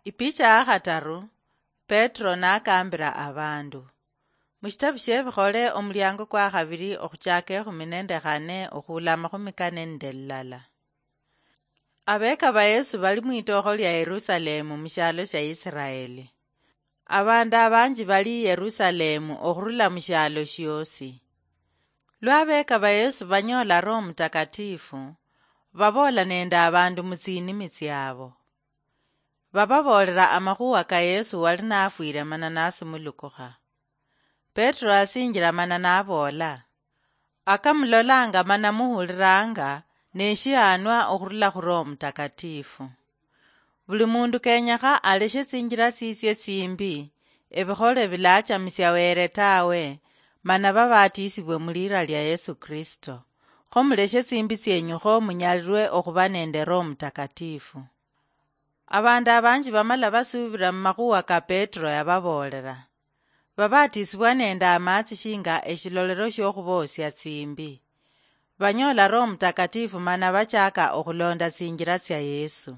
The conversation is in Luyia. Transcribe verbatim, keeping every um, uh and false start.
Ipicha ya khataru. Petro nakambira abandu. Mushitabu shiebikhole omuliango kwa khabiri okhuchaka ekhumi nende khane okhuula amakhumi kane nende lilala. Abeka ba Yesu bali mwitokho lia Yerusalemu mushialo shia Isiraeli. Abandu abanji bali Yerusalemu okhurula mushialo shiosi. Lwa abeka ba Yesu banyola Roho Mutakatifu, baboola nende abandu mutsinimi tsiabo. Bababoolera amakhuwa ka Yesu wali nafwire mana nasumulukukha. Petro asinjira mana naboola, "Akamulolanga mana muhuliranga neshihanwa okhurula khu Roho Mutakatifu. Buli mundu kenyekha aleshe tsinjira tsitsie tsimbi, ebikhole bilachamisia Were tawe, mana babatisibwe mulira lia Yesu Kristo. Kho muleshe tsimbi tsienyu kho munyalirwe okhuba nende Roho Mutakatifu." Abandu abanji bamala basubira mumakhuwa ka Petro yababoolera. Babatisibwa nende amatsi shinga eshilolero shiokhubosia tsimbi. Banyola Roho Mutakatifu mana bachaka okhulonda tsinjira tsia Yesu.